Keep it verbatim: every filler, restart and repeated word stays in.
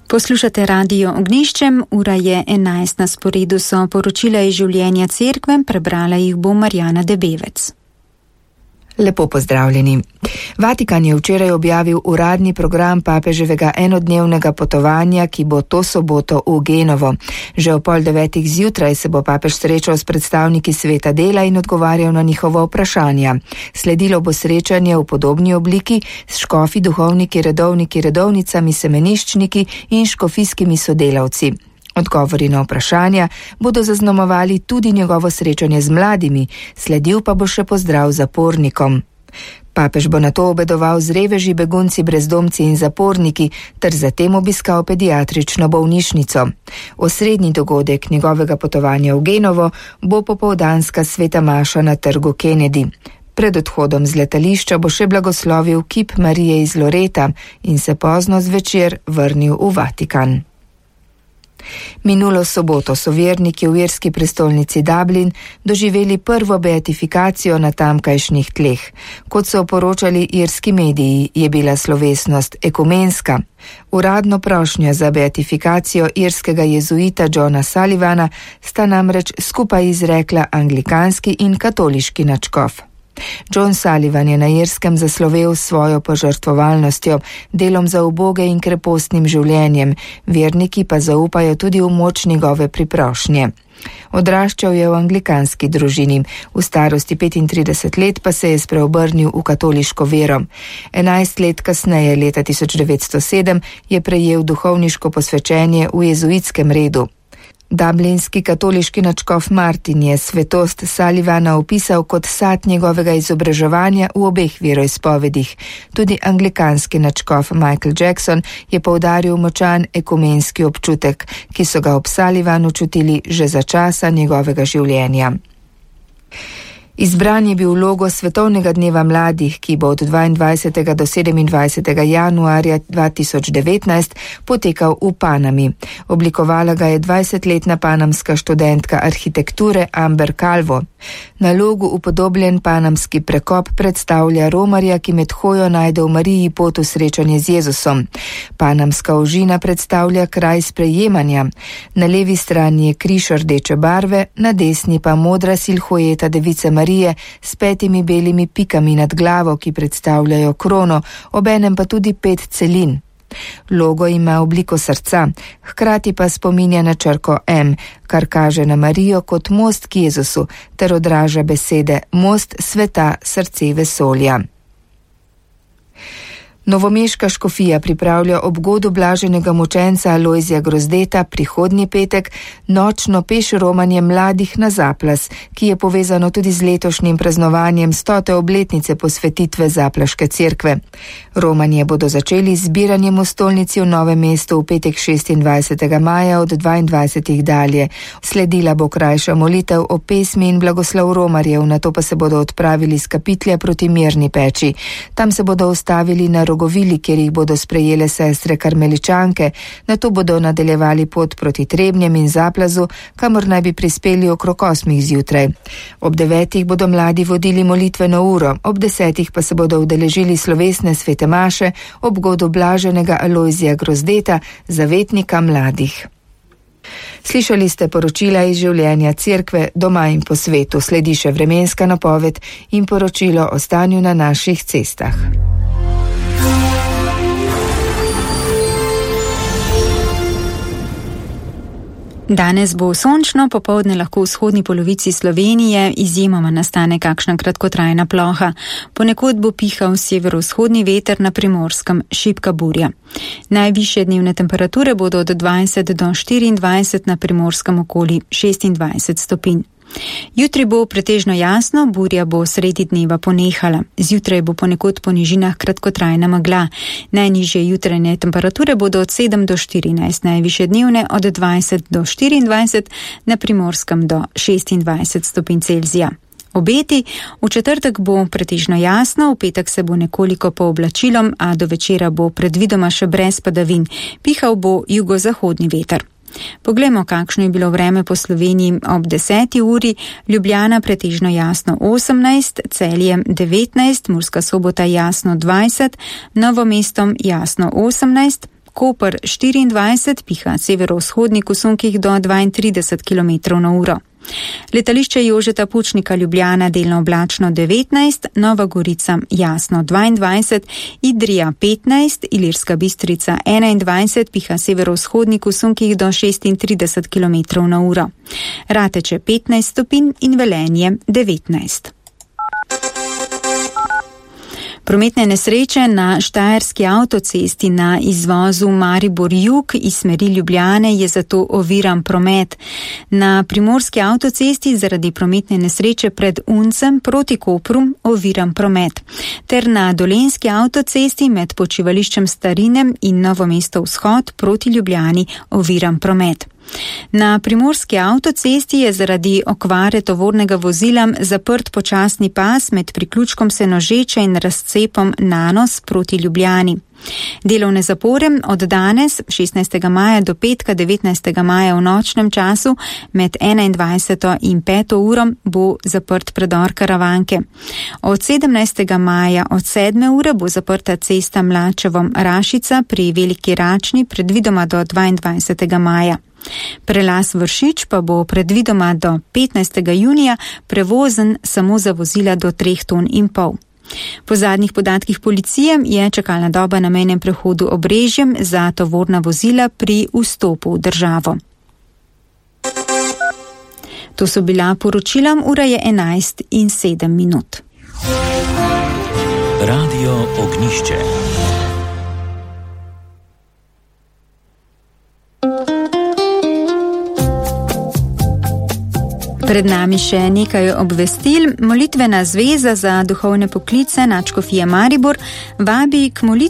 Poslušate Radio Ognjiščem, ura je enajst, na sporedu so poročila iz življenja cerkve, prebrala jih bo Marjana Debevec. Lepo pozdravljeni. Vatikan je včeraj objavil uradni program papeževega enodnevnega potovanja, ki bo to soboto v Genovo. Že o pol devetih zjutraj se bo papež srečal s predstavniki sveta dela in odgovarjal na njihova vprašanja. Sledilo bo srečanje v podobni obliki s škofi, duhovniki, redovniki, redovnicami, semeniščniki in škofijskimi sodelavci. Odgovori na vprašanja bodo zaznamovali tudi njegovo srečanje z mladimi, sledil pa bo še pozdrav zapornikom. Papež bo nato obedoval z reveži, begunci, brezdomci in zaporniki, ter zatem obiskal pediatrično bolnišnico. Osrednji dogodek njegovega potovanja v Genovo bo popoldanska sveta maša na trgu Kennedy. Pred odhodom z letališča bo še blagoslovil kip Marije iz Loreta in se pozno zvečer vrnil v Vatikan. Minulo soboto so verniki v irski prestolnici Dublin doživeli prvo beatifikacijo na tamkajšnjih tleh. Kot so poročali irski mediji, je bila slovesnost ekumenska. Uradno prošnjo za beatifikacijo irskega jezuita Johna Sullivana sta namreč skupaj izrekla anglikanski in katoliški nadškof. John Sullivan je na Irskem zaslovel svojo požrtvovalnostjo, delom za uboge in krepostnim življenjem, verniki pa zaupajo tudi v moč njegove priprošnje. Odraščal je v anglikanski družini, v starosti petintrideset let pa se je spreobrnil v katoliško vero. Enajst let kasneje, leta tisoč devetsto sedem, je prejel duhovniško posvečenje v jezuitskem redu. Dublinski katoliški nadškof Martin je svetost Sullivana opisal kot sad njegovega izobraževanja v obeh veroizpovedih. Tudi anglikanski nadškof Michael Jackson je poudaril močan ekumenski občutek, ki so ga ob Sullivanu čutili že za časa njegovega življenja. Izbran je bil logo Svetovnega dneva mladih, ki bo od dvaindvajsetega do sedemindvajsetega januarja dva tisoč devetnajst potekal v Panami. Oblikovala ga je dvajsetletna panamska študentka arhitekture Amber Calvo. Na logu upodobljen panamski prekop predstavlja romarja, ki med hojo najde v Mariji pot v srečanje z Jezusom. Panamska ožina predstavlja kraj sprejemanja. Na levi strani je križ rdeče barve, na desni pa modra silhueta device Marije s petimi belimi pikami nad glavo, ki predstavljajo krono, obenem pa tudi pet celin. Logo ima obliko srca, hkrati pa spominja na črko M, kar kaže na Marijo kot most k Jezusu, ter odraža besede most sveta, srce vesolja. Novomeška škofija pripravlja ob godu blaženega mučenca Alojzija Grozdeta prihodnji petek nočno peš romanje mladih na Zaplas, ki je povezano tudi z letošnjim praznovanjem stote obletnice posvetitve Zaplaške cerkve. Romanje bodo začeli z zbiranjem v stolnici v Novem mestu v petek šestindvajsetega maja od dvaindvajsetih dalje. Sledila bo krajša molitev o pesmi in blagoslov romarjev, nato pa se bodo odpravili s kapitlja proti Mirni peči. Tam se bodo ustavili na Rogovili, kjer jih bodo sprejele sestre karmeličanke, nato bodo nadaljevali pot proti Trebnjem in Zaplazu, kamor naj bi prispeli okrog osmih zjutraj. Ob devetih bodo mladi vodili molitveno uro, ob desetih pa se bodo udeležili slovesne svete maše ob godu blaženega Alojzija Grozdeta, zavetnika mladih. Slišali ste poročila iz življenja cerkve doma in po svetu, sledi še vremenska napoved in poročilo o stanju na naših cestah. Danes bo sončno, popoldne lahko v vzhodni polovici Slovenije izjemoma nastane kakšna kratkotrajna ploha. Ponekod bo pihal severovzhodni veter, na Primorskem šibka burja. Najvišje dnevne temperature bodo od dvajset do štiriindvajset, na Primorskem okoli šestindvajset stopinj. Jutri bo pretežno jasno, burja bo sredi dneva ponehala. Zjutraj bo ponekod po nižinah kratkotrajna megla. Najnižje jutranje temperature bodo od sedem do štirinajst, najvišje dnevne od dvajset do štiriindvajset, na Primorskem do šestindvajset stopinj Celzija. Obeti: v četrtek bo pretežno jasno, v petek se bo nekoliko pooblačilo, a do večera bo predvidoma še brez padavin. Pihal bo jugozahodni veter. Poglejmo, kakšno je bilo vreme po Sloveniji ob deseti uri. Ljubljana pretežno jasno osemnajst, Celje devetnajst, Murska Sobota jasno dvajset, Novo mesto jasno osemnajst, Koper štiriindvajset, piha severovzhodnik v sunkih do dvaintrideset kilometrov na uro. Letališče Jožeta Pučnika Ljubljana delno oblačno devetnajst, Nova Gorica jasno dvaindvajset, Idrija petnajst, Ilirska Bistrica enaindvajset, piha severovzhodnik v sunkih do šestintrideset kilometrov na uro. Rateče petnajst stopinj in Velenje devetnajst. Prometne nesreče na štajerski avtocesti na izvozu Maribor-Jug iz smeri Ljubljane je zato oviran promet. Na primorski avtocesti zaradi prometne nesreče pred Uncem proti Kopru oviran promet. Ter na dolenski avtocesti med počivališčem Starinem in Novo mesto vzhod proti Ljubljani oviran promet. Na primorski avtocesti je zaradi okvare tovornega vozila zaprt počasni pas med priključkom Senožeče in razcepom Nanos proti Ljubljani. Delovne zapore od danes, šestnajstega maja do petka, devetnajstega maja v nočnem času, med enaindvajseto in peto uro bo zaprt predor Karavanke. Od sedemnajstega maja od sedme ure bo zaprta cesta Mlačevom-Rašica pri Veliki Račni, predvidoma do dvaindvajsetega maja. Prelaz Vršič pa bo predvidoma do petnajstega junija prevozen samo za vozila do treh ton in pol. Po zadnjih podatkih policije je čakalna doba na mejnem prehodu Obrežjem za tovorna vozila pri vstopu v državo. To so bila poročila, ura je enajst in sedem minut. Radio Ognjišče. Pred nami še nekaj obvestil. Molitvena zveza za duhovne poklice Nadškofije Maribor vabi k molitvi